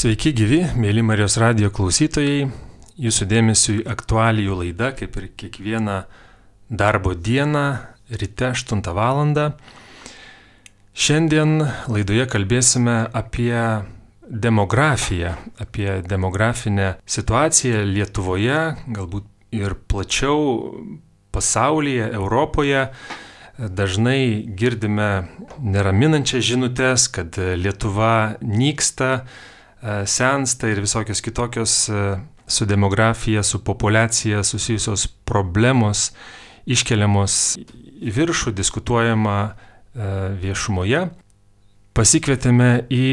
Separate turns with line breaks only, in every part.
Sveiki gyvi, mėly Marijos radijo klausytojai. Jūsų dėmesiui aktualijų laida, kaip ir kiekvieną darbo dieną, ryte 8 val. Šiandien laidoje kalbėsime apie demografiją, apie demografinę situaciją Lietuvoje, galbūt ir plačiau pasaulyje, Europoje. Dažnai girdime neraminančias žinutes, kad Lietuva nyksta, sensta ir visokios kitokios su demografija, su populiacija susijusios problemos iškeliamos į viršų, diskutuojama viešumoje. Pasikvietėme į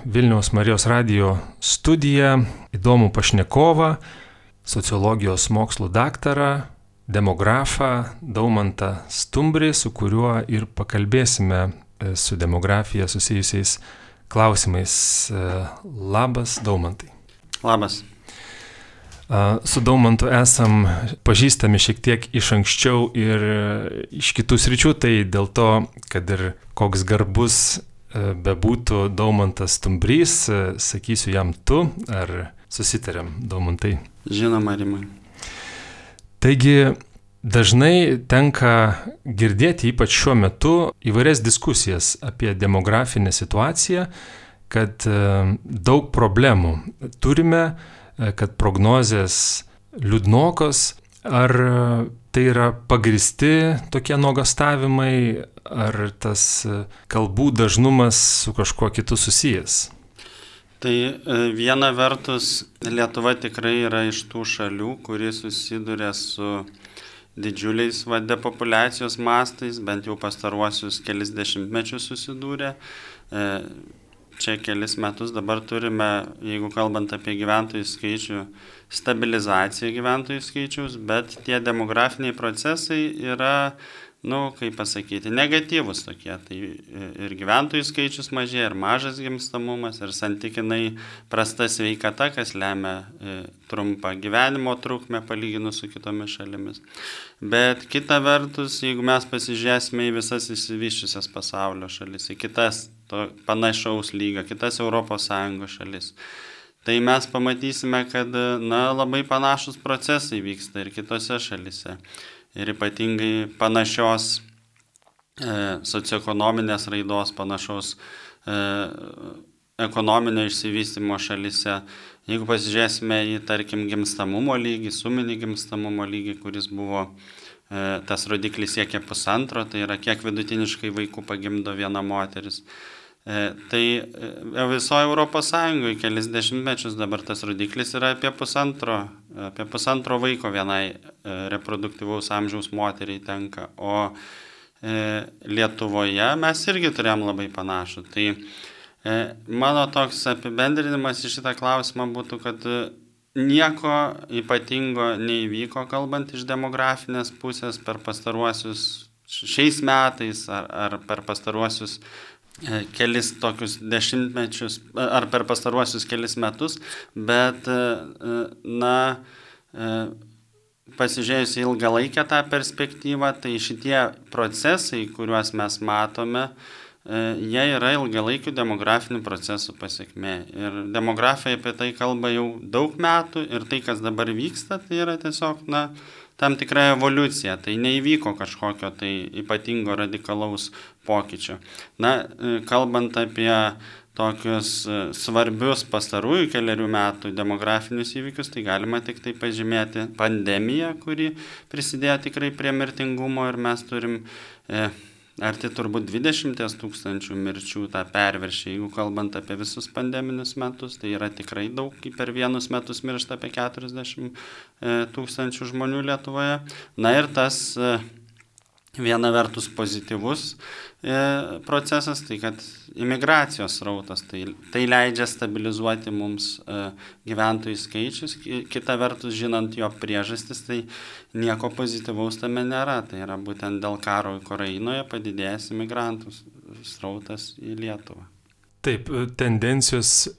Vilniaus Marijos radijo studiją įdomų pašnekovą, sociologijos mokslų daktarą, demografą Daumantą Stumbrį, su kuriuo ir pakalbėsime su demografija susijusiais klausimais. Labas, Daumantai.
Labas.
Su Daumantu esam pažįstami šiek tiek iš anksčiau ir iš kitų sričių, tai dėl to, kad ir koks garbus bebūtų Daumantas Stumbrys, sakysiu jam tu, ar susitarėm, Daumantai?
Žinoma, Rimai.
Taigi dažnai tenka girdėti, ypač šiuo metu, įvairias diskusijas apie demografinę situaciją, kad daug problemų turime, kad prognozės liūdnokos. Ar tai yra pagristi tokie nuogąstavimai, ar tas kalbų dažnumas su kažkuo kitu susijęs?
Tai viena vertus, Lietuva tikrai yra iš tų šalių, kuri susiduria su didžiuliais depopulacijos mastais, bent jau pastaruosius kelis dešimtmečius susidūrė. Čia kelis metus dabar turime, jeigu kalbant apie gyventojų skaičių, stabilizaciją gyventojų skaičiaus, bet tie demografiniai procesai yra, kaip pasakyti, negatyvus tokie. Tai ir gyventojų skaičius mažėja, ir mažas gimstamumas, ir santykinai prasta sveikata, kas lemia trumpą gyvenimo trukmę palyginus su kitomis šalimis. Bet kita vertus, jeigu mes pasižiūrėsime į visas išsivysčiusias pasaulio šalis, į kitas panašaus lygio, kitas ES šalis, tai mes pamatysime, kad labai panašus procesai vyksta ir kitose šalise. Ir ypatingai panašios socioekonominės raidos, panašaus ekonominio išsivystymo šalise. Jeigu pasižiūrėsime į, tarkim, gimstamumo lygį, suminį gimstamumo lygį, kuris buvo, tas rodiklis siekia 1,5, tai yra kiek vidutiniškai vaikų pagimdo viena moteris. Tai visoje Europos Sąjungoje kelis dešimtmečius dabar tas rodiklis yra apie pusantro vaiko vienai reproduktyvaus amžiaus moteriai tenka, o Lietuvoje mes irgi turėjom labai panašų. Tai mano toks apibendrinimas į šitą klausimą būtų, kad nieko ypatingo neįvyko, kalbant iš demografinės pusės per pastaruosius šiais metais ar per pastaruosius kelis tokius dešimtmečius, ar per pastaruosius kelis metus, bet, pasižiūrėjus į ilgalaikę tą perspektyvą, tai šitie procesai, kuriuos mes matome, jie yra ilgalaikių demografinių procesų pasekmė. Ir demografija apie tai kalba jau daug metų ir tai, kas dabar vyksta, tai yra tiesiog, tam tikra evoliucija, tai neįvyko kažkokio tai ypatingo radikalaus pokyčio. Kalbant apie tokius svarbius pastarųjų kelerių metų demografinius įvykius, tai galima tik tai pažymėti pandemiją, kuri prisidėjo tikrai prie mirtingumo ir mes turim arti turbūt 20 000 mirčių tą perviršį. Jeigu kalbant apie visus pandeminius metus, tai yra tikrai daug, per vienus metus miršta apie 40 000 žmonių Lietuvoje. Ir tas viena vertus pozityvus procesas, tai kad imigracijos srautas, tai leidžia stabilizuoti mums gyventojų skaičius, kita vertus, žinant jo priežastis, tai nieko pozityvaus tame nėra. Tai yra būtent dėl karo Ukrainoje padidėjęs imigrantų srautas į Lietuvą.
Taip, tendencijos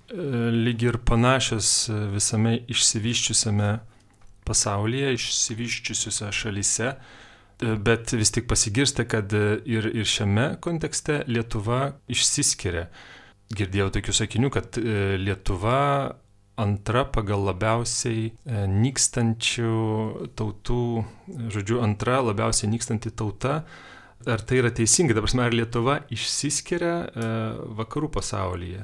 lyg ir panašios visame išsivyščiusiame pasaulyje, išsivyščiusiuose šalyse. Bet vis tik pasigirsta, kad ir šiame kontekste Lietuva išsiskiria. girdėjau tokių sakinių, kad Lietuva antra pagal labiausiai nykstančių tautų, žodžiu, antra labiausiai nykstanti tauta. Ar tai yra teisingai? Ta prasme, ar Lietuva išsiskiria vakarų pasaulyje?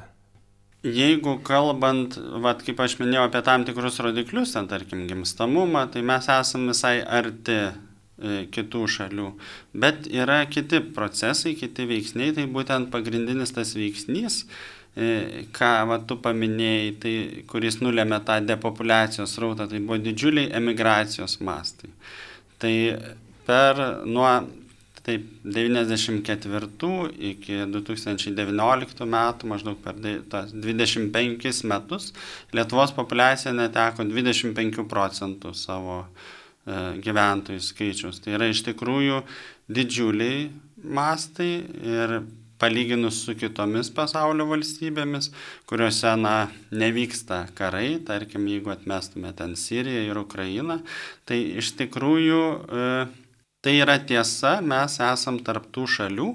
Jeigu kalbant, kaip aš minėjau apie tam tikrus rodiklius, ten tarkim gimstamumą, tai mes esame visai arti kitų šalių. Bet yra kiti procesai, kiti veiksniai, tai būtent pagrindinis tas veiksnys, ką tu paminėjai, tai, kuris nulėmė tą depopulacijos srautą, tai buvo didžiuliai emigracijos mastai. Tai nuo 94 iki 2019 metų, maždaug per 25 metus, Lietuvos populiacija neteko 25% savo gyventojų skaičiaus. Tai yra iš tikrųjų didžiuliai mastai ir palyginus su kitomis pasaulio valstybėmis, kuriuose nevyksta karai, tarkim, jeigu atmestume ten Siriją ir Ukrainą, tai iš tikrųjų tai yra tiesa, mes esam tarp tų šalių,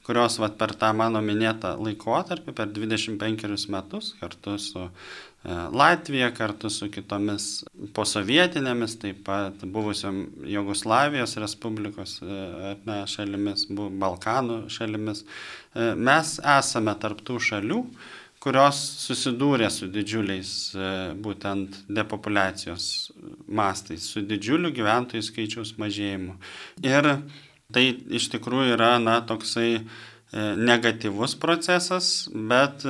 kurios per tą mano minėtą laikotarpį, per 25 metus, kartu su Latvija, kartu su kitomis posovietinėmis, taip pat buvusiom Jugoslavijos Respublikos šalimis, Balkanų šalimis, mes esame tarp tų šalių, kurios susidūrė su didžiuliais būtent depopulacijos mastais, su didžiuliu gyventojų skaičiaus mažėjimu. Ir tai iš tikrųjų yra toksai negatyvus procesas, bet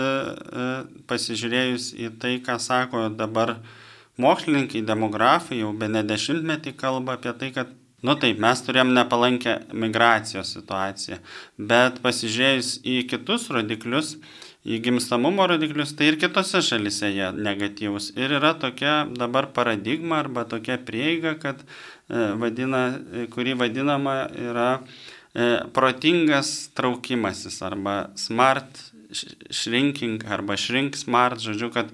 pasižiūrėjus į tai, ką sako dabar mokslininkai, demografai, jau bene 10-metį kalba apie tai, kad taip, mes turėjom nepalankę migracijos situaciją, bet pasižiūrėjus į kitus rodiklius, į gimstamumo rodiklius, tai ir kitose šalise jie negatyvus. Ir yra tokia dabar paradigma arba tokia prieiga, kad kuri vadinama yra protingas traukimasis arba smart shrinking arba shrink smart, žodžiu, kad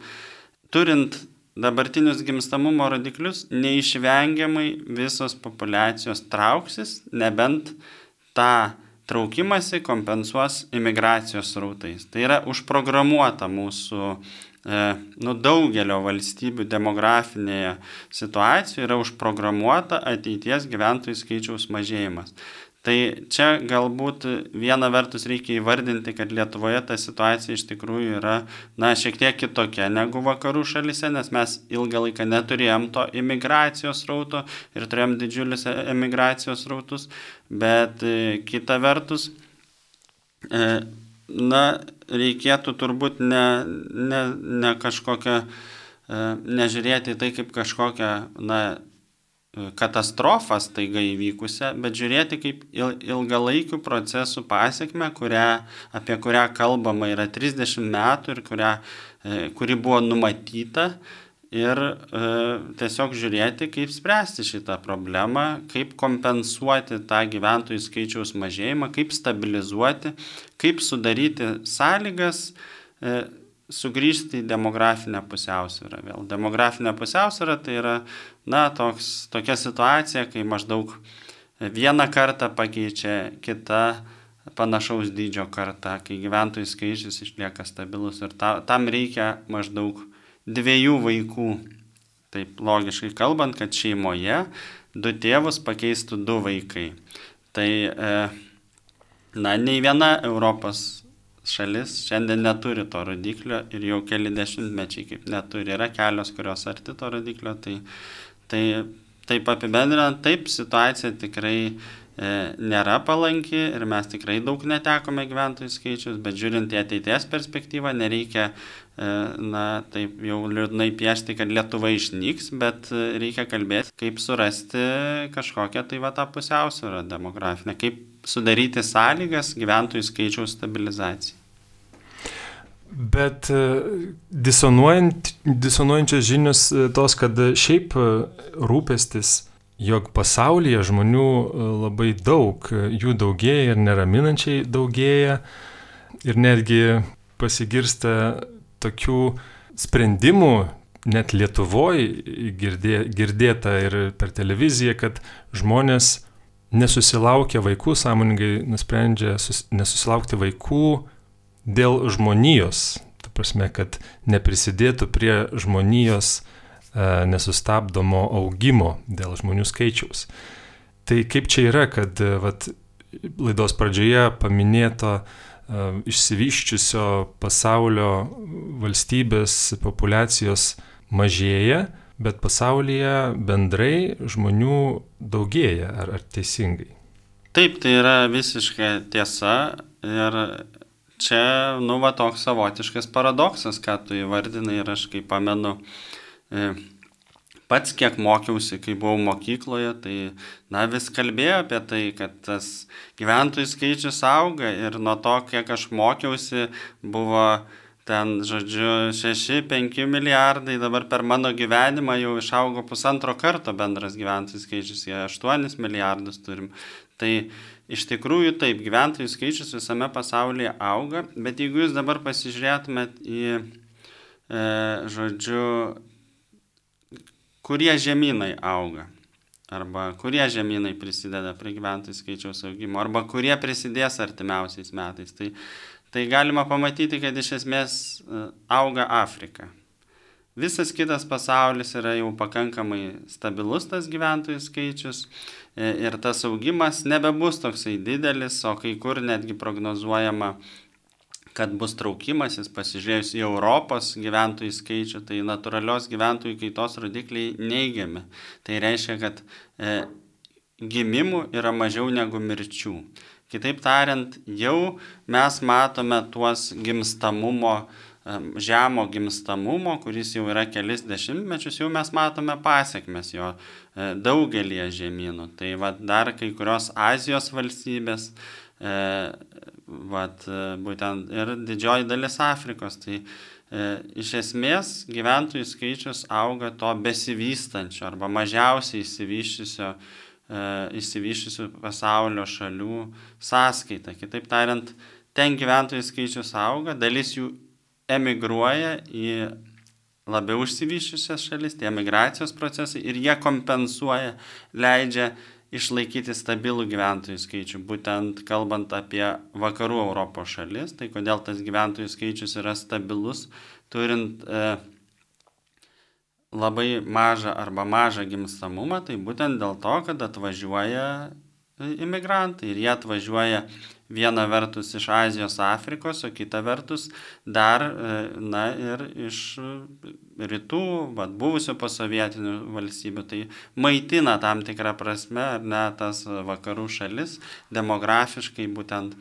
turint dabartinius gimstamumo rodiklius, neišvengiamai visos populiacijos trauksis, nebent tą traukimasi kompensuos imigracijos srautais. Tai yra užprogramuota mūsų daugelio valstybių demografinėje situacijoje, yra užprogramuota ateities gyventojų skaičiaus mažėjimas. Tai čia galbūt viena vertus reikia įvardinti, kad Lietuvoje ta situacija iš tikrųjų yra šiek tiek kitokia negu vakarų šalyse, nes mes ilgą laiką neturėjom to imigracijos srauto ir turėjom didžiulius emigracijos srautus, bet kita vertus, reikėtų turbūt ne kažkokią, nežiūrėti tai kaip kažkokią, katastrofą staiga įvykusią, bet žiūrėti kaip ilgalaikių procesų pasekmę, apie kurią kalbama yra 30 metų ir kuri buvo numatyta ir tiesiog žiūrėti, kaip spręsti šitą problemą, kaip kompensuoti tą gyventojų skaičiaus mažėjimą, kaip stabilizuoti, kaip sudaryti sąlygas sugrįžti į demografinę pusiausvyrą. Vėl demografinė pusiausvyrą tai yra tokia situacija, kai maždaug vieną kartą pakeičia kita panašaus dydžio karta, kai gyventojų skaičius išlieka stabilus ir tam reikia maždaug 2 vaikų. Taip logiškai kalbant, kad šeimoje 2 tėvus pakeistų 2 vaikai. Tai nei viena Europos šalis šiandien neturi to rodiklio ir jau keli dešimtmečiai kaip neturi. Yra kelios, kurios arti to rodiklio. Tai taip apibendrinant, taip situacija tikrai nėra palanki ir mes tikrai daug netekome gyventojų skaičius, bet žiūrint į ateities perspektyvą, nereikia taip jau liūdnai piešti, kad Lietuva išnyks, bet reikia kalbėti, kaip surasti kažkokią tą pusiausvyrą demografinę, kaip sudaryti sąlygas gyventojų skaičiaus stabilizacijai.
Bet disonuojančios žinios tos, kad šiaip rūpestis, jog pasaulyje žmonių labai daug, jų daugėja ir neraminančiai daugėja ir netgi pasigirsta tokių sprendimų, net Lietuvoje girdėta ir per televiziją, kad žmonės nesusilaukia vaikų, sąmoningai nusprendžia nesusilaukti vaikų dėl žmonijos, ta prasme, kad neprisidėtų prie žmonijos nesustabdomo augimo dėl žmonių skaičiaus. Tai kaip čia yra, kad vat, laidos pradžioje paminėto išsivyščiusio pasaulio valstybės populiacijos mažėja, bet pasaulyje bendrai žmonių daugėja, ar teisingai?
Taip, tai yra visiškai tiesa ir čia, toks savotiškas paradoksas, ką tu įvardinai ir aš kaip pamenu, pats kiek mokiausi, kai buvau mokykloje, tai vis kalbėjau apie tai, kad tas gyventojų skaičius auga ir nuo to, kiek aš mokiausi, buvo ten, 6-5 milijardai, dabar per mano gyvenimą jau išaugo 1,5 karto bendras gyventojų skaičius, 8 milijardus turim. Tai iš tikrųjų taip, gyventojų skaičius visame pasaulyje auga, bet jeigu jūs dabar pasižiūrėtumėt į, kurie žemynai auga, arba kurie žemynai prisideda prie gyventojų skaičiaus augimo, arba kurie prisidės artimiausiais metais, tai galima pamatyti, kad iš esmės auga Afrika. Visas kitas pasaulis yra jau pakankamai stabilus tas gyventojų skaičius ir tas augimas nebebus toksai didelis, o kai kur netgi prognozuojama, kad bus traukimasis, pasižiūrėjus į Europos gyventojų skaičių, tai natūralios gyventojų kaitos rodikliai neigiami. Tai reiškia, kad gimimų yra mažiau negu mirčių. Kitaip tariant, jau mes matome tuos žemo gimstamumo, kuris jau yra kelis dešimtmečius, jau mes matome pasiekmes jo daugelį žemynų. Tai dar kai kurios Azijos valstybės, būtent ir didžioji dalis Afrikos. Tai iš esmės gyventojų skaičius auga to besivystančio arba mažiausiai išsivysčiusių pasaulio šalių sąskaita. Kitaip tariant, ten gyventojų skaičius auga, dalis jų emigruoja į labiau išsivysčiusias šalis, tie migracijos procesai, ir jie kompensuoja, leidžia išlaikyti stabilų gyventojų skaičių, būtent kalbant apie vakarų Europos šalis. Tai kodėl tas gyventojų skaičius yra stabilus, turint labai mažą arba mažą gimstamumą, tai būtent dėl to, kad atvažiuoja imigrantai ir jie atvažiuoja viena vertus iš Azijos, Afrikos, o kita vertus dar ir iš rytų, buvusių posovietinių valstybių. Tai maitina tam tikrą prasme, tas vakarų šalis demografiškai būtent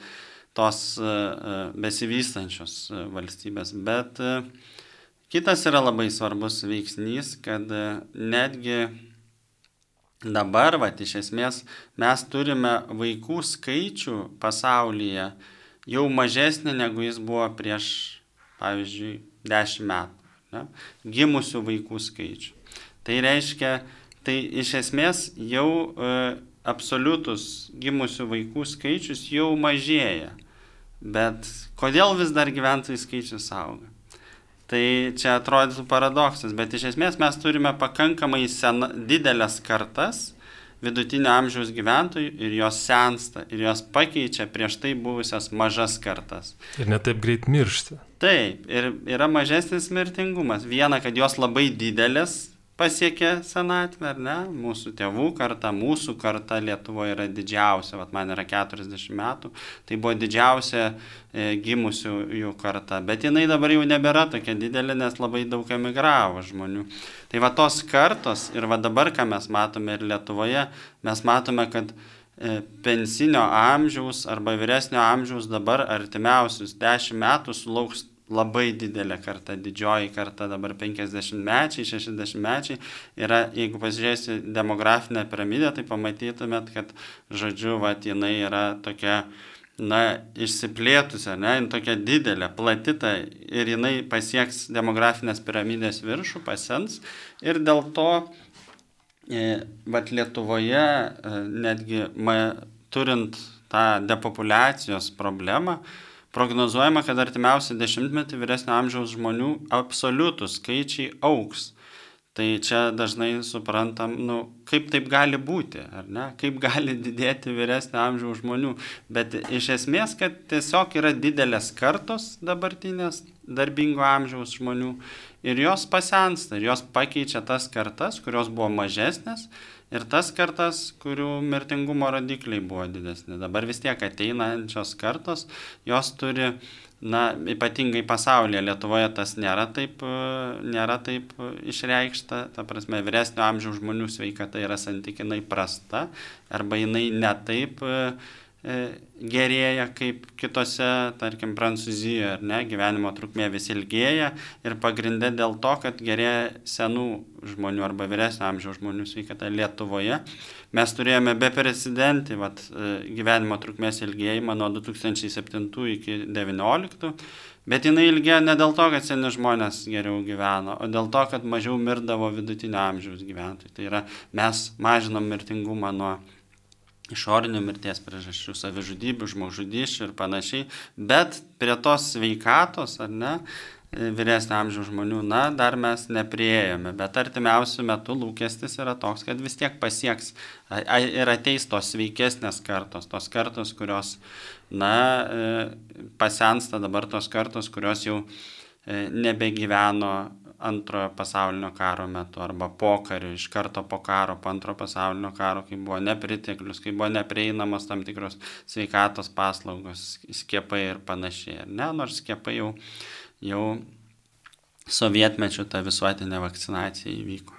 tos besivystančios valstybės. Bet kitas yra labai svarbus veiksnys, kad netgi dabar, iš esmės, mes turime vaikų skaičių pasaulyje jau mažesnį, negu jis buvo prieš, pavyzdžiui, 10 metų. Ne? Gimusių vaikų skaičių. Tai reiškia, tai iš esmės jau absoliutus gimusių vaikų skaičius jau mažėja. Bet kodėl vis dar gyventojų skaičius auga? Tai čia atrodytų paradoksas, bet iš esmės mes turime pakankamai didelės kartas vidutinio amžiaus gyventojų ir jos sensta, ir jos pakeičia prieš tai buvusias mažas kartas.
Ir netaip greit miršta.
Taip, ir yra mažesnis mirtingumas. Viena, kad jos labai didelės pasiekė senatvę, ar ne? Mūsų tėvų karta, mūsų karta Lietuvoje yra didžiausia, man yra 40 metų, tai buvo didžiausia gimusių jų karta, bet jinai dabar jau nebėra tokia didelė, nes labai daug emigravo žmonių. Tai tos kartos ir dabar, ką mes matome ir Lietuvoje, mes matome, kad pensinio amžiaus arba vyresnio amžiaus dabar artimiausius 10 metų sulauks labai didelė karta, didžioji karta, dabar 50-mečiai, 60-mečiai. Yra, jeigu pasižiūrėsi demografinę piramidę, tai pamatytumėt, kad, jinai yra tokia, išsiplėtusi, tokia didelė, platita, ir jinai pasieks demografinės piramidės viršų, pasens. Ir dėl to, Lietuvoje, netgi turint tą depopulacijos problemą, prognozuojama, kad artimiausią 10-metį vyresnio amžiaus žmonių absoliutų skaičiai augs. Tai čia dažnai suprantam, kaip taip gali būti, ar ne? Kaip gali didėti vyresnio amžiaus žmonių. Bet iš esmės, kad tiesiog yra didelės kartos dabartinės darbingo amžiaus žmonių ir jos pasensta, ir jos pakeičia tas kartas, kurios buvo mažesnės ir tas kartas, kurių mirtingumo rodikliai buvo didesni. Dabar vis tiek ateinančios kartos, jos turi, ypatingai pasaulyje, Lietuvoje tas nėra taip išreikšta, ta prasme, vyresnio amžiaus žmonių sveikata yra santykinai prasta, arba jinai netaip gerėja kaip kitose, tarkim, Prancūzijoje, ar ne, gyvenimo trukmė vis ilgėja ir pagrinde dėl to, kad gerėja senų žmonių arba vyresnio amžiaus žmonių sveikata. Lietuvoje mes turėjome beprecedentį gyvenimo trukmės ilgėjimą nuo 2007 iki 2019, bet jinai ilgėjo ne dėl to, kad seni žmonės geriau gyveno, o dėl to, kad mažiau mirdavo vidutinio amžiaus gyventojai. Tai yra, mes mažinom mirtingumą nuo išorinių mirties priežasčių, savižudybių, žmogžudysčių ir panašiai, bet prie tos sveikatos, ar ne, vyresnio amžiaus žmonių, dar mes nepriėjome, bet artimiausių metų lūkestis yra toks, kad vis tiek pasieks ir ateis tos sveikesnės kartos, tos kartos, kurios, pasensta dabar tos kartos, kurios jau nebegyveno antrojo pasaulinio karo metu arba pokariu, iš karto po karo, po antrojo pasaulinio karo, kai buvo nepriteklius, kai buvo neprieinamos tam tikros sveikatos paslaugos, skiepai ir panašiai. Nors skiepai jau sovietmečiu ta visuotinė vakcinacija įvyko.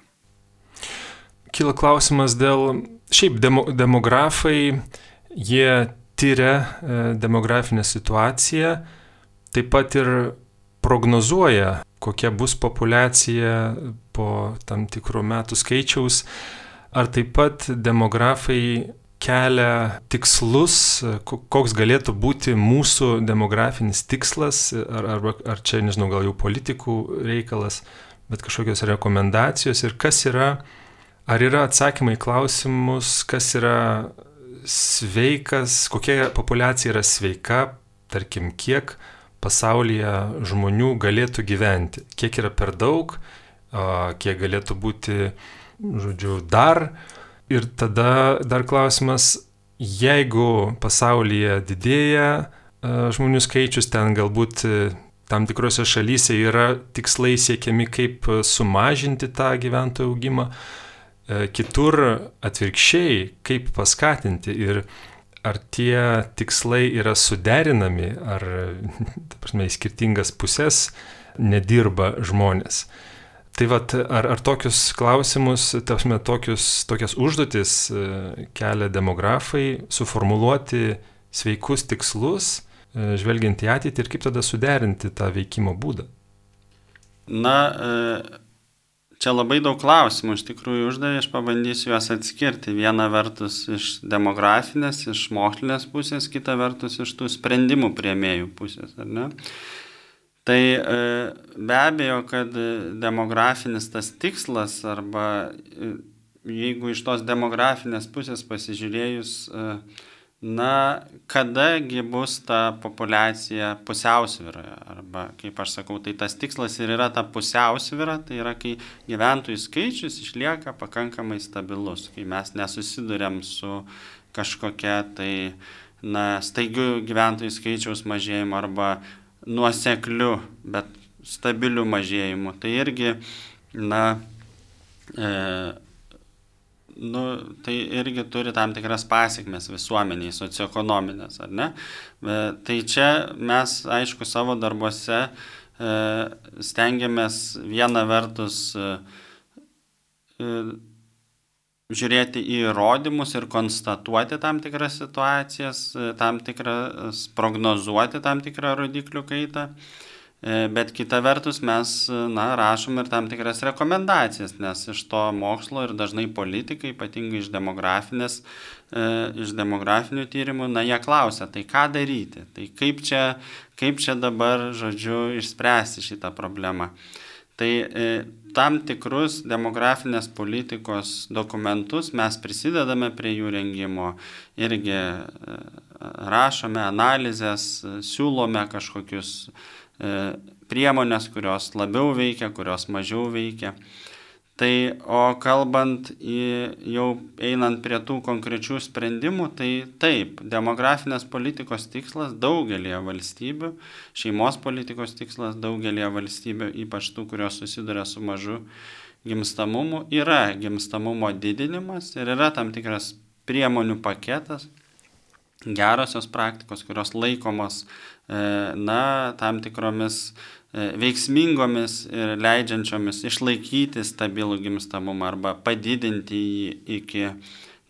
Kyla klausimas dėl, šiaip demografai, jie tyria demografinę situaciją, taip pat ir prognozuoja, kokia bus populiacija po tam tikrų metų skaičiaus. Ar taip pat demografai kelia tikslus, koks galėtų būti mūsų demografinis tikslas, ar čia, nežinau, gal jau politikų reikalas, bet kažkokios rekomendacijos ir kas yra, ar yra atsakymai į klausimus, kas yra sveikas, kokia populiacija yra sveika, tarkim, kiek pasaulyje žmonių galėtų gyventi, kiek yra per daug, kiek galėtų būti, dar. Ir tada dar klausimas, jeigu pasaulyje didėja žmonių skaičius, ten galbūt tam tikrose šalyse yra tikslai siekiami, kaip sumažinti tą gyventojų augimą, kitur atvirkščiai, kaip paskatinti ir ar tie tikslai yra suderinami, ar, į skirtingas pusės nedirba žmonės. Tai ar tokius klausimus, tokias užduotis kelia demografai, suformuluoti sveikus tikslus, žvelgiant į ateitį ir kaip tada suderinti tą veikimo būdą?
Čia labai daug klausimų iš tikrųjų uždavė, aš pabandysiu juos atskirti. Viena vertus iš demografinės, iš mokslinės pusės, kita vertus iš tų sprendimų priėmėjų pusės, ar ne? Tai be abejo, kad demografinis tas tikslas, arba jeigu iš tos demografinės pusės pasižiūrėjus, kadagi bus ta populiacija pusiausvyroje, arba, kaip aš sakau, tai tas tikslas ir yra ta pusiausvyra, tai yra, kai gyventojų skaičius išlieka pakankamai stabilus, kai mes nesusiduriam su kažkokia tai, staigiu gyventojų skaičiaus mažėjimu arba nuosekliu, bet stabiliu mažėjimu. Tai irgi, tai irgi turi tam tikras pasekmes visuomeniai, socioekonominės, ar ne? Tai čia mes, aišku, savo darbuose stengiamės viena vertus žiūrėti į įrodymus ir konstatuoti tam tikras situacijas, prognozuoti tam tikrą rodiklių kaitą. Bet kita vertus mes rašom ir tam tikras rekomendacijas, nes iš to mokslo ir dažnai politikai, ypatingai iš demografinių tyrimų, jie klausia, tai ką daryti, tai kaip čia dabar, išspręsti šitą problemą. Tai tam tikrus demografinės politikos dokumentus mes prisidedame prie jų rengimo, irgi rašome analizės, siūlome kažkokius priemonės, kurios labiau veikia, kurios mažiau veikia. Tai, o kalbant jau einant prie tų konkrečių sprendimų, tai taip, demografinės politikos tikslas daugelėje valstybių, šeimos politikos tikslas daugelėje valstybių, ypač tų, kurios susiduria su mažu gimstamumu, yra gimstamumo didinimas ir yra tam tikras priemonių paketas, gerosios praktikos, kurios laikomos tam tikromis veiksmingomis ir leidžiančiomis išlaikyti stabilų gimstamumą arba padidinti jį iki,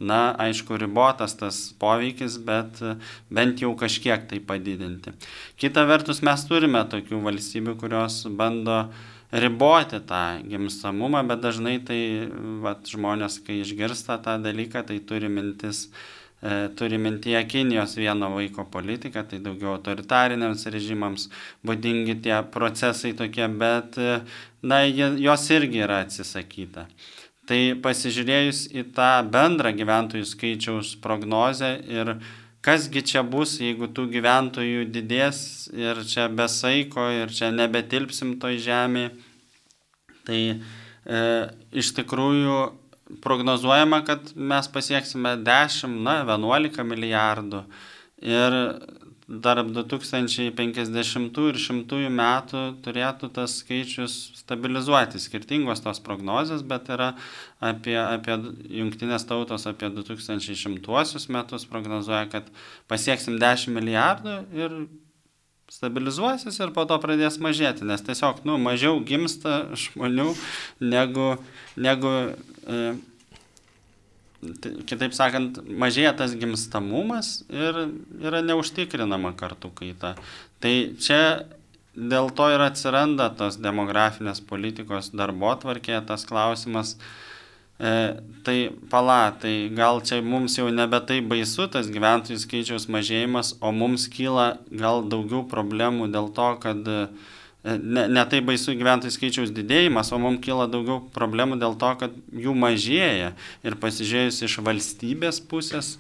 aišku, ribotas tas poveikis, bet bent jau kažkiek tai padidinti. Kita vertus, mes turime tokių valstybių, kurios bando riboti tą gimstamumą, bet dažnai tai žmonės, kai išgirsta tą dalyką, tai turi mintyje Kinijos vieno vaiko politiką, tai daugiau autoritariniams režimams būdingi tie procesai tokie, bet jos irgi yra atsisakyta. Tai pasižiūrėjus į tą bendrą gyventojų skaičiaus prognozę ir kasgi čia bus, jeigu tų gyventojų didės ir čia be saiko ir čia nebetilpsim toj žemėje, tai iš tikrųjų prognozuojama, kad mes pasieksime 10, 11 milijardų ir tarp 2050 ir 100 metų turėtų tas skaičius stabilizuoti. Skirtingos tos prognozės, bet yra apie Jungtinės tautos apie 2100 metus prognozuoja, kad pasieksim 10 milijardų ir stabilizuosis ir po to pradės mažėti, nes tiesiog mažiau gimsta žmonių negu kitaip sakant, mažėja tas gimstamumas ir yra neužtikrinama kartų kaita. Tai čia dėl to ir atsiranda tos demografinės politikos darbotvarkėje tas klausimas, tai gal čia mums jau nebe tai baisu tas gyventojų skaičiaus mažėjimas, o mums kyla gal daugiau problemų dėl to, kad ne tai baisu gyventojų skaičiaus didėjimas, o mums kyla daugiau problemų dėl to, kad jų mažėja. Ir pasižiūrėjus iš valstybės pusės.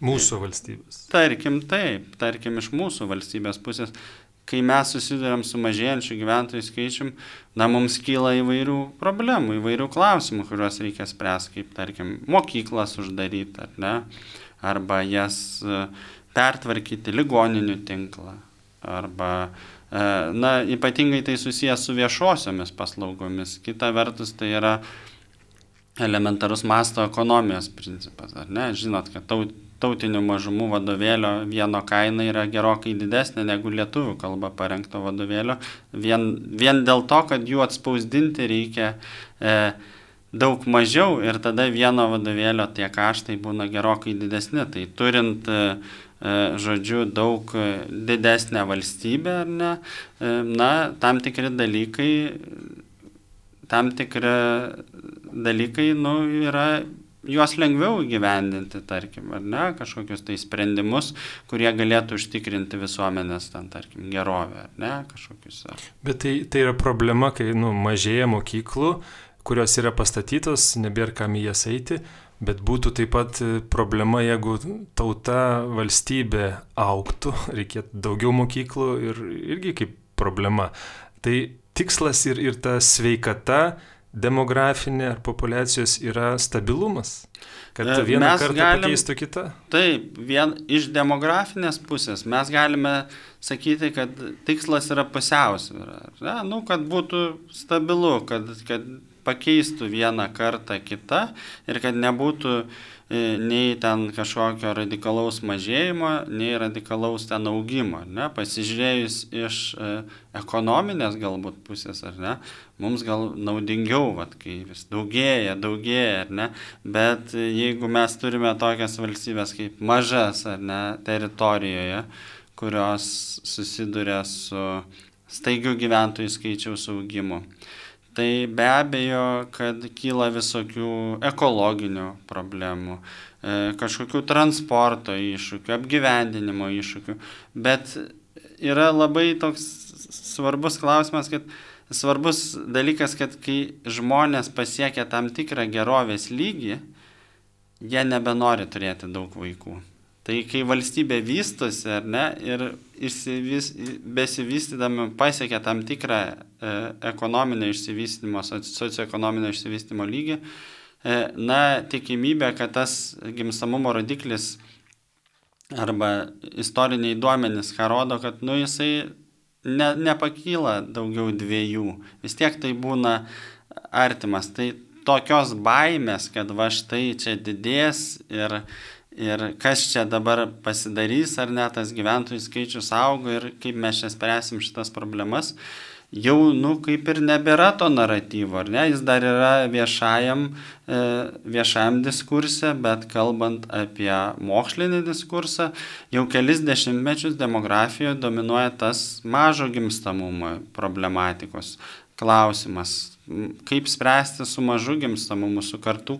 Mūsų valstybės.
Tarkim iš mūsų valstybės pusės. Kai mes susiduriam su mažėjančiu gyventojų skaičium, mums kyla įvairių problemų, įvairių klausimų, kuriuos reikia spręsti, kaip, tarkim, mokyklas uždaryti, ar ne, arba jas pertvarkyti, ligoninių tinklą, arba, ypatingai tai susijęs su viešosiomis paslaugomis. Kita vertus, tai yra elementarus masto ekonomijos principas, ar ne? Žinot, kad tautinių mažumų vadovėlio vieno kaina yra gerokai didesnė negu lietuvių kalba parengto vadovėlio, vien dėl to, kad jų atspausdinti reikia daug mažiau ir tada vieno vadovėlio tie kaštai būna gerokai didesni. Tai turint, žodžiu, daug didesnę valstybę, ar ne, tam tikri dalykai, yra juos lengviau įgyvendinti, tarkim, ar ne, kažkokius tai sprendimus, kurie galėtų užtikrinti visuomenės, tarkim, gerovę, ar ne, kažkokius.
Bet tai yra problema, kai mažėja mokyklų, kurios yra pastatytos, nebėra kam į jas eiti, bet būtų taip pat problema, jeigu tauta, valstybė augtų, reikėtų daugiau mokyklų ir irgi kaip problema. Tai tikslas ir ta sveikata demografinė ar populiacijos yra stabilumas, kad vieną kartą pakeistų kitą?
Taip, iš demografinės pusės mes galime sakyti, kad tikslas yra pusiausvyra, kad būtų stabilu, kad pakeistų vieną kartą kitą ir kad nebūtų nei ten kažkokio radikalaus mažėjimo, nei radikalaus ten augimo, ne? Pasižiūrėjus iš ekonominės galbūt pusės, ar ne, mums gal naudingiau, kai vis daugėja, ar ne, bet jeigu mes turime tokias valstybės kaip mažas, ar ne, teritorijoje, kurios susiduria su staigiu gyventojų skaičiaus augimu, tai be abejo, kad kyla visokių ekologinių problemų, kažkokių transporto iššūkių, apgyvendinimo iššūkių, bet yra labai toks svarbus klausimas, svarbus dalykas, kad kai žmonės pasiekia tam tikrą gerovės lygį, jie nebenori turėti daug vaikų. Tai kai valstybė vystosi, ar ne, ir besivystydami pasiekia tam tikrą ekonominio išsivystymo, socioekonominio išsivystymo lygį, na, tikimybė, kad tas gimstamumo rodiklis arba istoriniai duomenys, ką rodo, kad, nu, jisai nepakyla daugiau 2, vis tiek tai būna artimas. Tai tokios baimės, kad va štai čia didės ir kas čia dabar pasidarys, ar ne, tas gyventojų skaičius auga ir kaip mes čia spręsim šitas problemas, jau, nu, kaip ir nebėra to naratyvo, ar ne, jis dar yra viešajam diskurse, bet kalbant apie mokslinį diskursą, jau kelis dešimtmečius demografijoje dominuoja tas mažo gimstamumo problematikos klausimas. Kaip spręsti su mažu gimstamumu, su kartų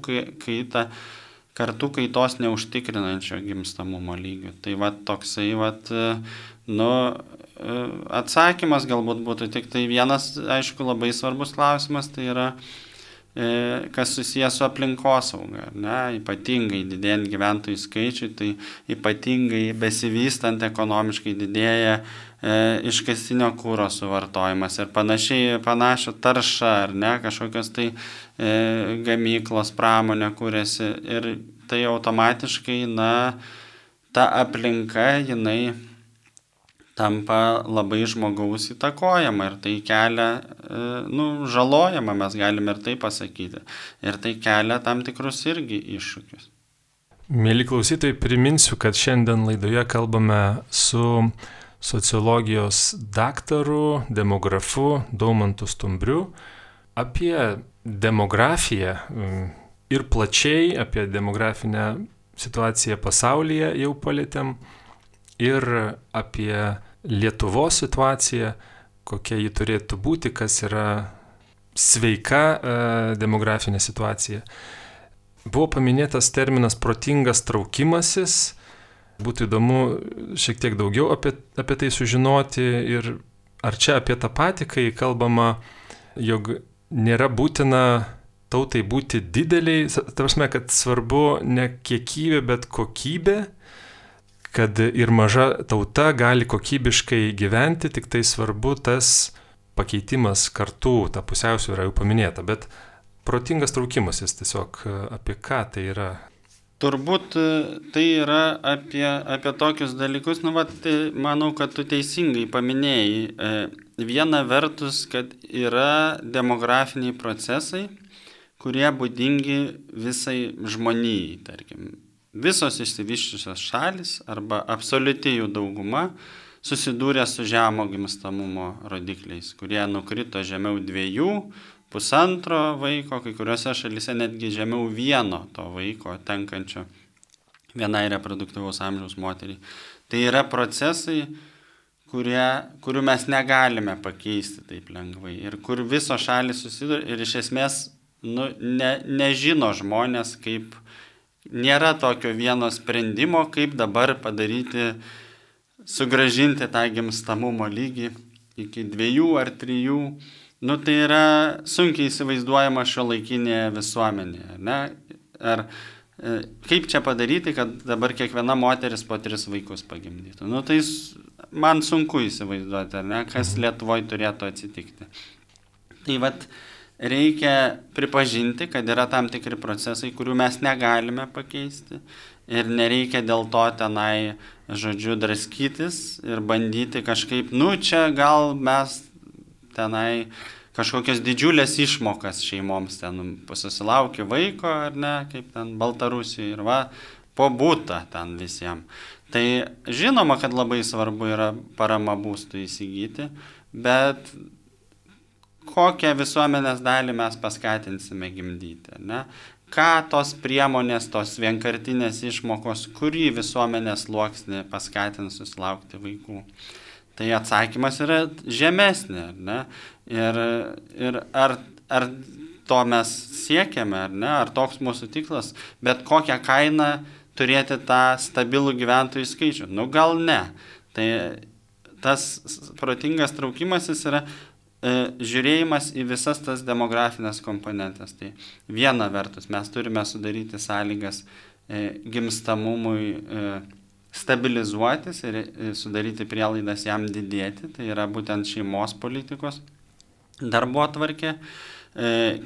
kaitos neužtikrinančio gimstamumo lygiu. Tai va toksai, nu, atsakymas galbūt būtų tik tai vienas, aišku, labai svarbus klausimas, tai yra, kas susijęs su aplinkosauga, ne, ypatingai didėjant gyventojų skaičiui, tai ypatingai besivystant ekonomiškai didėja iškastinio kuro suvartojimas ir panašią taršą, ar ne, kažkokios tai gamyklos pramonė kūrėsi ir tai automatiškai, na, ta aplinka, jinai tampa labai žmogaus įtakojama ir tai kelia, nu, žalojama, mes galime ir tai pasakyti. Ir tai kelia tam tikrus irgi iššūkius.
Mėly klausytojai, priminsiu, kad šiandien laidoje kalbame su sociologijos daktaru, demografu Daumantu Stumbriu apie demografiją ir plačiai apie demografinę situaciją pasaulyje jau palėtėm ir apie Lietuvos situaciją, kokia ji turėtų būti, kas yra sveika demografinė situacija. Buvo paminėtas terminas protingas traukimasis. Būtų įdomu šiek tiek daugiau apie tai sužinoti ir ar čia apie tą patį, kai kalbama, jog nėra būtina tautai būti dideliai, ta prasme, kad svarbu ne kiekybė, bet kokybė, kad ir maža tauta gali kokybiškai gyventi, tik tai svarbu tas pakeitimas kartų, ta pusiausvyra jau paminėta, bet protingas traukimasis tiesiog apie ką tai yra?
Turbūt tai yra apie tokius dalykus, nu, tai manau, kad tu teisingai paminėjai. Viena vertus, kad yra demografiniai procesai, kurie būdingi visai žmonijai, tarkim. Visos išsivysčiusios šalis arba absoliuti jų dauguma susidūrė su žemo gimstamumo rodikliais, kurie nukrito žemiau 2, 1,5 vaiko, kai kuriuose šalyse netgi žemiau 1 to vaiko tenkančio vienai reproduktyvaus amžiaus moteriai. Tai yra procesai, kurių mes negalime pakeisti taip lengvai ir kur visos šalys susiduria ir iš esmės nežino žmonės, kaip nėra tokio vieno sprendimo, kaip dabar padaryti, sugrąžinti tą gimstamumo lygį iki 2 ar 3. Nu, tai yra sunkiai įsivaizduojama šiuolaikinėje visuomenėje, ne? Ar kaip čia padaryti, kad dabar kiekviena moteris po 3 vaikus pagimdytų? Nu, tai man sunku įsivaizduoti, ar ne, kas Lietuvoje turėtų atsitikti. Tai reikia pripažinti, kad yra tam tikri procesai, kurių mes negalime pakeisti ir nereikia dėl to tenai, žodžiu, draskytis ir bandyti kažkaip, nu, čia gal mes tenai kažkokios didžiulės išmokas šeimoms ten susilaukė vaiko, ar ne, kaip ten Baltarusijoje ir po būtą ten visiems. Tai žinoma, kad labai svarbu yra parama būstui įsigyti, bet kokią visuomenės dalį mes paskatinsime gimdyti, ne? Ką tos priemonės, tos vienkartinės išmokos, kurį visuomenės sluoksnį paskatins susilaukti vaikų. Tai atsakymas yra žemesnė, ne? Ir ar to mes siekiame, ar ne, ar toks mūsų tikslas, bet kokią kainą turėti tą stabilų gyventojų skaičių. Nu gal ne. Tai tas protingas traukimasis yra žiūrėjimas į visas tas demografinės komponentes. Tai viena vertus mes turime sudaryti sąlygas gimstamumui stabilizuotis ir sudaryti prielaidas jam didėti, tai yra būtent šeimos politikos darbotvarkė.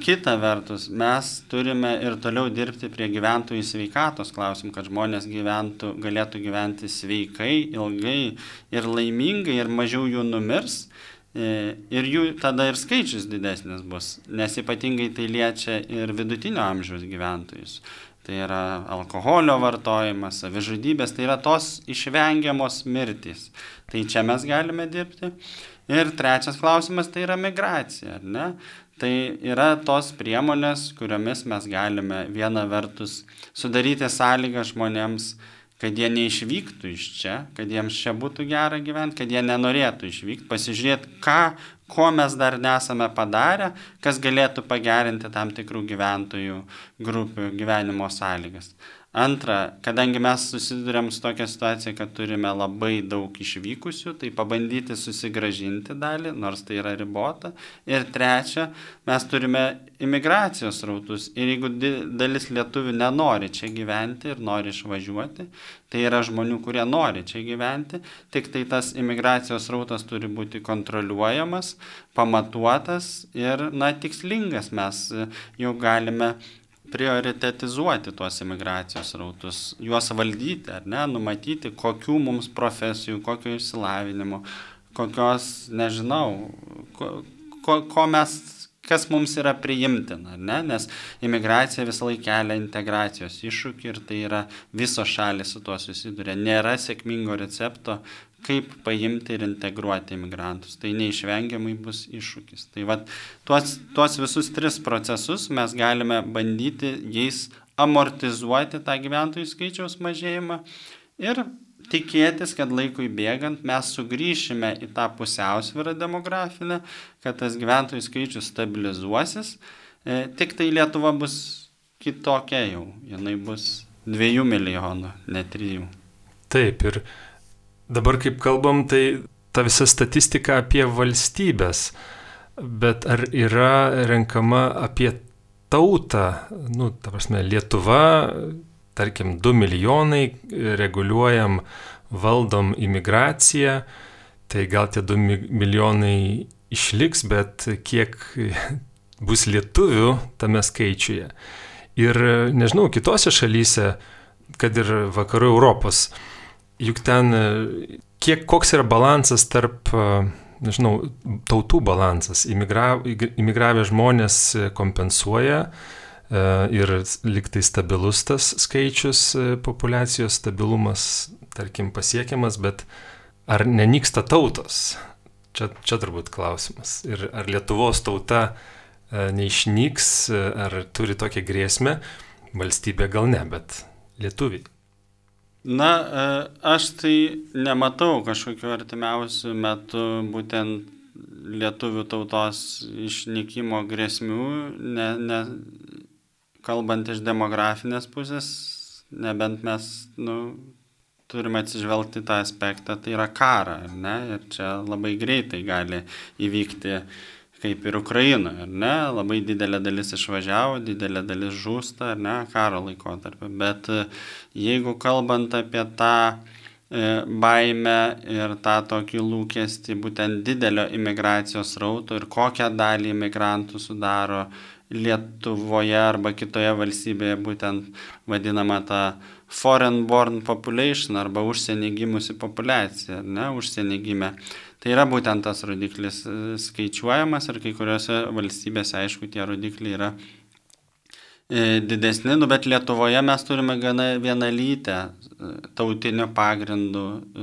Kita vertus, mes turime ir toliau dirbti prie gyventojų sveikatos klausimų, kad žmonės galėtų gyventi sveikai, ilgai ir laimingai ir mažiau jų numirs. Ir jų tada ir skaičius didesnis bus, nes ypatingai tai liečia ir vidutinio amžiaus gyventojus. Tai yra alkoholio vartojimas, savižudybės, tai yra tos išvengiamos mirtys. Tai čia mes galime dirbti. Ir trečias klausimas, tai yra migracija, ar ne? Tai yra tos priemonės, kuriomis mes galime viena vertus sudaryti sąlygą žmonėms, kad jie neišvyktų iš čia, kad jiems čia būtų gera gyventi, kad jie nenorėtų išvykti, pasižiūrėti, ko mes dar nesame padarę, kas galėtų pagerinti tam tikrų gyventojų grupių gyvenimo sąlygas. Antra, kadangi mes susidurėm su tokia situacija, kad turime labai daug išvykusių, tai pabandyti susigrąžinti dalį, nors tai yra ribota. Ir trečia, mes turime imigracijos srautus. Ir jeigu dalis lietuvių nenori čia gyventi ir nori išvažiuoti, tai yra žmonių, kurie nori čia gyventi, tik tai tas imigracijos srautas turi būti kontroliuojamas, pamatuotas ir, tikslingas. Mes jau galime prioritetizuoti tuos imigracijos srautus, juos valdyti, ar ne, numatyti, kokių mums profesijų, kokio išsilavinimo, kokios, nežinau, kas mums yra priimtina, ar ne, nes imigracija visą laiką kelia integracijos iššūkį ir tai yra visos šalys su tuo susiduria. Nėra sėkmingo recepto, kaip paimti ir integruoti imigrantus. Tai neišvengiamai bus iššūkis. Tai tuos visus 3 procesus mes galime bandyti jais amortizuoti tą gyventojų skaičiaus mažėjimą ir tikėtis, kad laikui bėgant mes sugrįšime į tą pusiausvyrą demografinę, kad tas gyventojų skaičius stabilizuosis. Tik tai Lietuva bus kitokia jau. Jinai bus 2 milijonų, ne 3.
Taip, ir dabar kaip kalbam, tai ta visa statistika apie valstybės, bet ar yra renkama apie tautą, ta prasme, Lietuva, tarkim, 2 milijonai, reguliuojam, valdom imigraciją, tai gal tie 2 milijonai išliks, bet kiek bus lietuvių tame skaičiuje. Ir nežinau, kitose šalyse, kad ir vakarų Europos, juk ten koks yra balansas tarp, tautų balansas. Imigravę žmonės kompensuoja ir liktai stabilus tas skaičius, populiacijos stabilumas, tarkim, pasiekiamas, bet ar nenyksta tautos? Čia turbūt klausimas. Ir ar Lietuvos tauta neišnyks, ar turi tokią grėsmę? Valstybė gal ne, bet lietuviai.
Aš tai nematau kažkokiu artimiausiu metu būtent lietuvių tautos išnykimo grėsmių, kalbant iš demografinės pusės, nebent mes turime atsižvelgti tą aspektą, tai yra karą, ar ne? Ir čia labai greitai gali įvykti kaip ir Ukrainoje, ar ne? Labai didelė dalis išvažiavo, didelė dalis žūsta, ar ne, karo laikotarpiu. Bet jeigu kalbant apie tą baimę ir tą tokį lūkestį būtent didelio imigracijos srauto ir kokią dalį imigrantų sudaro Lietuvoje arba kitoje valstybėje būtent vadinama ta foreign born population arba užsienį gimusi populiacija, ar ne, užsienį gimę. Tai yra būtent tas rodiklis skaičiuojamas ir kai kuriuose valstybėse, aišku, tie rodikliai yra didesni, bet Lietuvoje mes turime gana vienalytę tautinių pagrindų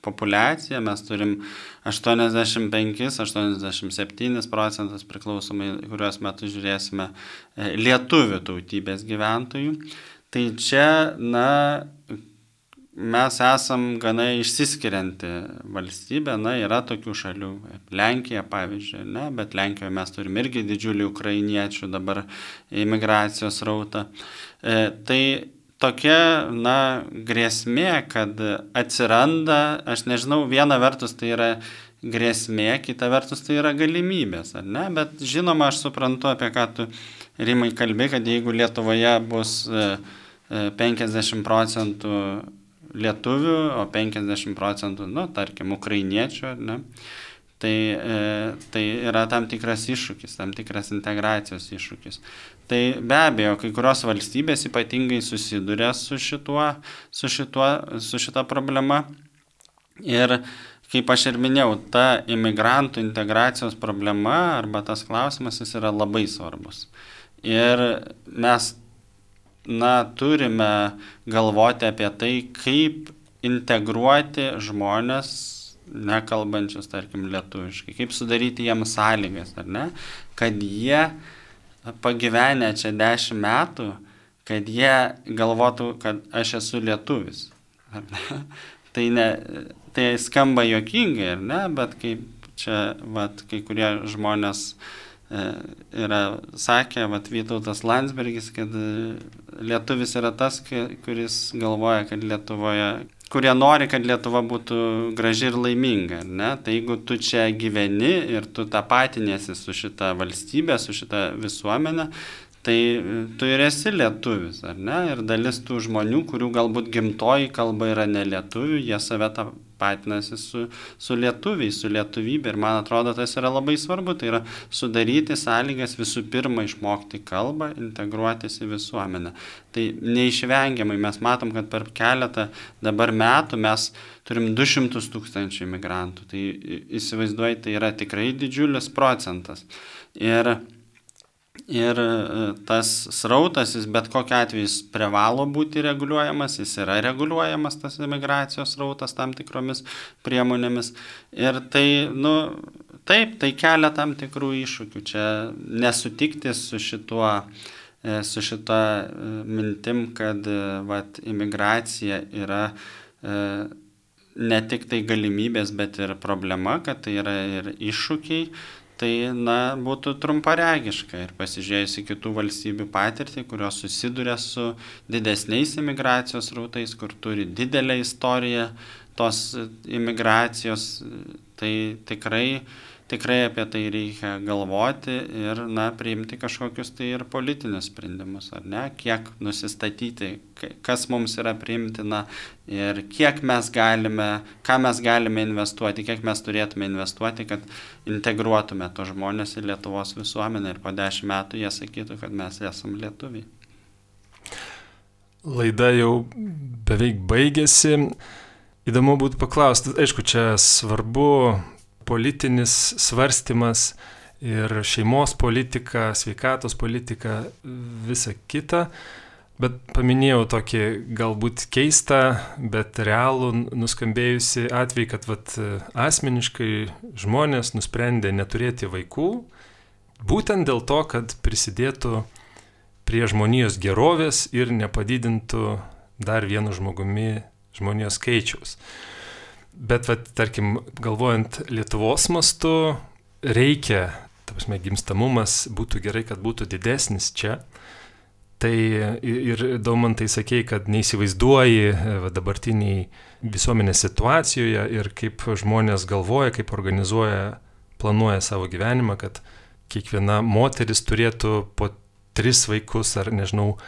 populiaciją, mes turim 85-87% priklausomai, kuriuos metus žiūrėsime, lietuvių tautybės gyventojų. Tai čia, mes esam gana išsiskirianti valstybė, yra tokių šalių, Lenkija pavyzdžiui, bet Lenkijoje mes turim irgi didžiulį ukrainiečių dabar imigracijos rautą. Tai tokia, grėsmė, kad atsiranda, aš nežinau, viena vertus tai yra grėsmė, kita vertus tai yra galimybės, ar ne? Bet žinoma, aš suprantu, apie ką tu, Rimai, kalbi, kad jeigu Lietuvoje bus 50% lietuvių, o 50%, tarkim, ukrainiečių, ar ne? Tai yra tam tikras iššūkis, tam tikras integracijos iššūkis. Tai be abejo, kai kurios valstybės ypatingai susiduria su šita problema. Ir kaip aš ir minėjau, ta imigrantų integracijos problema arba tas klausimas, jis yra labai svarbus. Ir mes, turime galvoti apie tai, kaip integruoti žmonės nekalbančius, tarkim, lietuviškai, kaip sudaryti jiems sąlygas, ar ne, kad jie pagyvenę čia 10 metų, kad jie galvotų, kad aš esu lietuvis. Ar ne? Tai skamba juokingai, ar ne, bet kaip čia, kai kurie žmonės yra sakę, Vytautas Landsbergis, kad lietuvis yra tas, kuris galvoja, kad kurie nori, kad Lietuva būtų graži ir laiminga, ar ne? Tai jeigu tu čia gyveni ir tu tapatiniesi su šita valstybė, su šita visuomenė, tai tu ir esi lietuvis, ar ne? Ir dalis tų žmonių, kurių galbūt gimtoji kalba yra ne lietuvių, jie save tapatinasi su lietuviais, su lietuvybė. Ir man atrodo, tas yra labai svarbu. Tai yra sudaryti sąlygas visų pirma išmokti kalbą, integruotis į visuomenę. Tai neišvengiamai mes matom, kad per keletą dabar metų mes turim 200 000 imigrantų. Tai įsivaizduoji, tai yra tikrai didžiulis procentas. Ir tas srautas, jis bet kokiu atveju jis privalo būti reguliuojamas, jis yra reguliuojamas, tas imigracijos srautas tam tikromis priemonėmis. Ir tai, taip, tai kelia tam tikrų iššūkių. Čia nesutikti su šita mintim, kad imigracija yra ne tik tai galimybės, bet ir problema, kad tai yra ir iššūkiai. Tai, būtų trumparegiška ir pasižiūrėjus į kitų valstybių patirtį, kurios susiduria su didesniais imigracijos rautais, kur turi didelę istoriją tos imigracijos, tai tikrai apie tai reikia galvoti ir, priimti kažkokius tai ir politinius sprendimus, ar ne, kiek nusistatyti, kas mums yra priimtina ir ką mes galime investuoti, kiek mes turėtume investuoti, kad integruotume tos žmonės į Lietuvos visuomenę ir po 10 metų jie sakytų, kad mes esam lietuviai.
Laida jau beveik baigėsi. Įdomu būtų paklausti, aišku, čia svarbu politinis svarstymas ir šeimos politika, sveikatos politika, visa kita, bet paminėjau tokį galbūt keistą, bet realų nuskambėjusi atvejį, kad asmeniškai žmonės nusprendė neturėti vaikų, būtent dėl to, kad prisidėtų prie žmonijos gerovės ir nepadidintų dar vienu žmogumi žmonijos skaičiaus. Bet, tarkim, galvojant Lietuvos mastu, reikia, gimstamumas būtų gerai, kad būtų didesnis čia. Tai ir Daumantai sakei, kad neįsivaizduoji dabartiniai visuomenės situacijoje ir kaip žmonės galvoja, kaip organizuoja, planuoja savo gyvenimą, kad kiekviena moteris turėtų po 3 vaikus ar nežinau,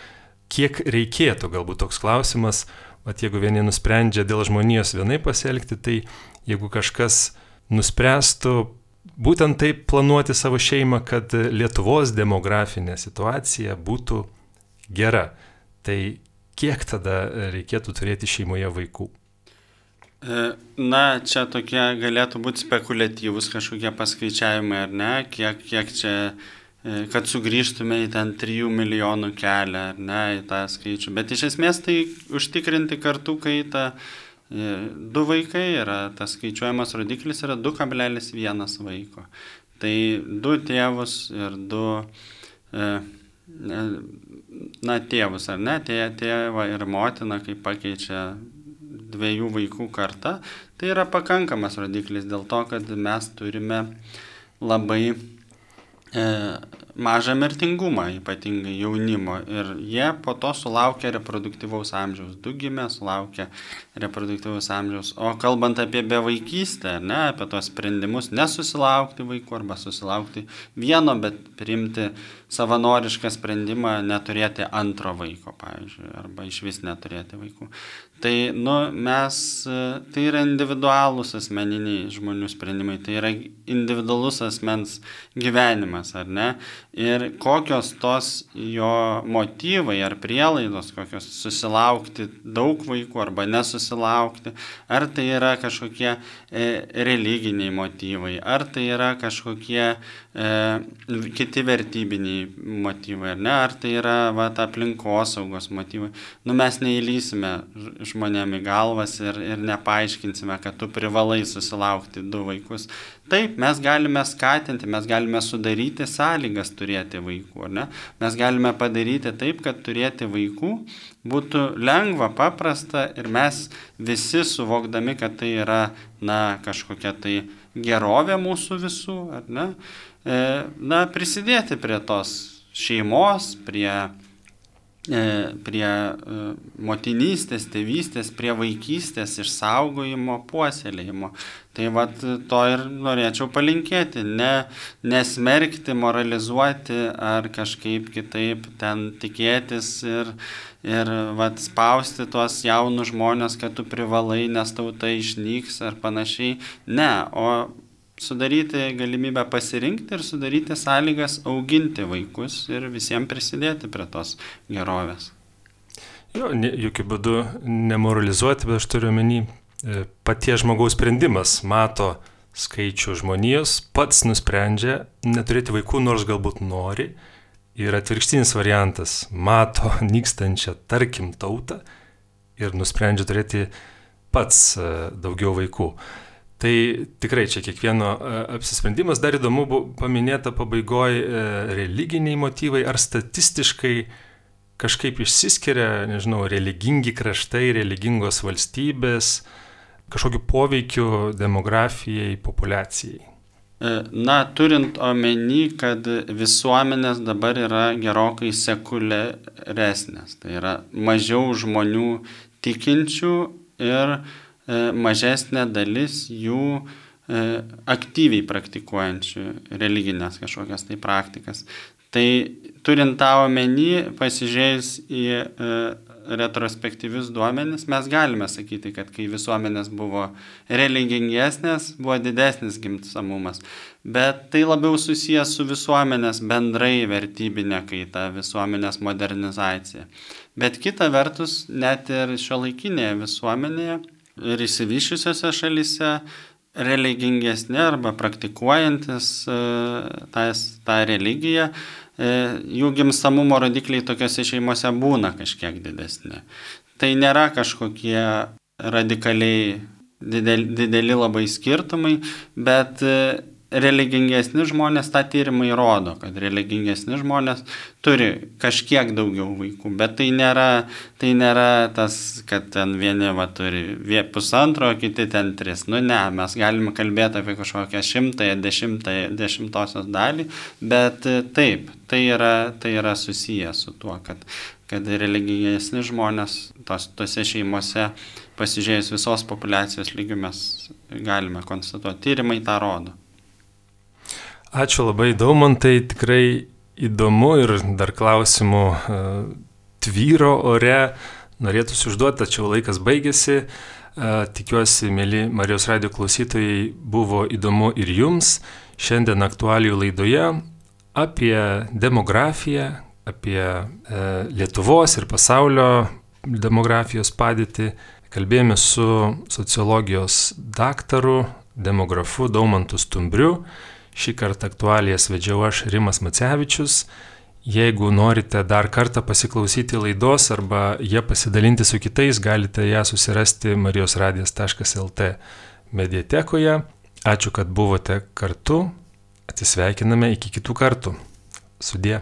kiek reikėtų, galbūt toks klausimas. Jeigu vieni nusprendžia dėl žmonijos vienai pasielgti, tai jeigu kažkas nuspręstų būtent taip planuoti savo šeimą, kad Lietuvos demografinė situacija būtų gera, tai kiek tada reikėtų turėti šeimoje vaikų?
Čia tokie galėtų būti spekuliatyvūs kažkokie paskaičiavimai, ar ne, kiek čia, kad sugrįžtume į ten 3 milijonų kelią, ar ne, į tą skaičių. Bet iš esmės tai užtikrinti kartų kaitą 2 vaikai yra, tas skaičiuojamas rodiklis yra 2,1 vaiko. Tai 2 tėvus ir 2 tėvus, ar ne, tėvą ir motiną, kai pakeičia 2 vaikų kartą, tai yra pakankamas rodiklis dėl to, kad mes turime labai mažą mirtingumą, ypatingai jaunimo. Ir jie po to sulaukia reproduktyvaus amžiaus. 2 gimė, sulaukia reproduktyvaus amžiaus. O kalbant apie bevaikystę, apie tos sprendimus nesusilaukti vaikų arba susilaukti vieno, bet priimti savanorišką sprendimą neturėti antro vaiko, pavyzdžiui, arba iš vis neturėti vaikų. Tai, tai yra individualūs asmeniniai žmonių sprendimai, tai yra individualus asmens gyvenimas, ar ne? Ir kokios tos jo motyvai ar prielaidos, kokios susilaukti daug vaikų arba nesusilaukti, ar tai yra kažkokie religiniai motyvai, ar tai yra kažkokie kiti vertybiniai motyvai, ar ne? Ar tai yra aplinkosaugos motyvai. Mes neįlysime žmonėm į galvas ir nepaaiškinsime, kad tu privalai susilaukti 2 vaikus. Taip, mes galime skatinti, mes galime sudaryti sąlygas turėti vaikų, ar ne? Mes galime padaryti taip, kad turėti vaikų būtų lengva, paprasta ir mes visi suvokdami, kad tai yra, kažkokia tai gerovė mūsų visų, ar ne? Prisidėti prie tos šeimos, prie motinystės, tėvystės, prie vaikystės išsaugojimo, puoselėjimo. Tai to ir norėčiau palinkėti, nesmerkti, moralizuoti ar kažkaip kitaip ten tikėtis ir spausti tuos jaunus žmonės, kad tu privalai, nes tauta išnyks ar panašiai. Ne, o sudaryti galimybę pasirinkti ir sudaryti sąlygas auginti vaikus ir visiems prisidėti prie tos gerovės.
Jokių būdų nemoralizuoti, bet aš turiu omeny, paties žmogaus sprendimas mato skaičių žmonijos, pats nusprendžia neturėti vaikų, nors galbūt nori, ir atvirkštinis variantas mato nykstančią, tarkim, tautą ir nusprendžia turėti pats daugiau vaikų. Tai tikrai čia kiekvieno apsisprendimas. Dar įdomu paminėta pabaigoje religiniai motyvai, ar statistiškai kažkaip išsiskiria, nežinau, religingi kraštai, religingos valstybės, kažkokiu poveikiu demografijai, populiacijai.
Turint omeny, kad visuomenės dabar yra gerokai sekuliaresnės, tai yra mažiau žmonių tikinčių ir mažesnė dalis jų aktyviai praktikuojančių religinės kažkokias tai praktikas. Tai turint tą omeny, pasižiūrėjus į retrospektyvius duomenis, mes galime sakyti, kad kai visuomenės buvo religingesnės, buvo didesnis gimstamumas. Bet tai labiau susijęs su visuomenės bendrai vertybinė kaita, visuomenės modernizacija. Bet kita vertus, net ir šiuolaikinėje visuomenėje ir išsivysčiusiose šalyse religingesni arba praktikuojantis tą religiją, jų gimstamumo rodikliai tokiose šeimose būna kažkiek didesni. Tai nėra kažkokie radikaliai dideli labai skirtumai, bet religingesni žmonės, tą tyrimai rodo, kad religingesni žmonės turi kažkiek daugiau vaikų, bet tai nėra tas, kad ten vieni turi 1,5, kiti ten 3. Ne, mes galime kalbėti apie kažkokią 1/10 dalį, bet taip, tai yra susiję su tuo, kad religingesni žmonės tose šeimose, pasižiūrėjus visos populiacijos lygių, mes galime konstatuoti, tyrimai tą rodo.
Ačiū labai, Daumantai, tikrai įdomu ir dar klausimų tvyro ore, norėtųsi užduoti, tačiau laikas baigėsi. Tikiuosi, mėly Marijos radijo klausytojai, buvo įdomu ir jums. Šiandien aktualijų laidoje apie demografiją, apie Lietuvos ir pasaulio demografijos padėtį. Kalbėjome su sociologijos daktaru, demografu Daumantu Stumbriu. Šį kartą aktualijas vedžiau aš, Rimas Macevičius. Jeigu norite dar kartą pasiklausyti laidos arba ją pasidalinti su kitais, galite ją susirasti marijosradijas.lt mediatekoje. Ačiū, kad buvote kartu. Atsisveikiname iki kitų kartų. Sudie.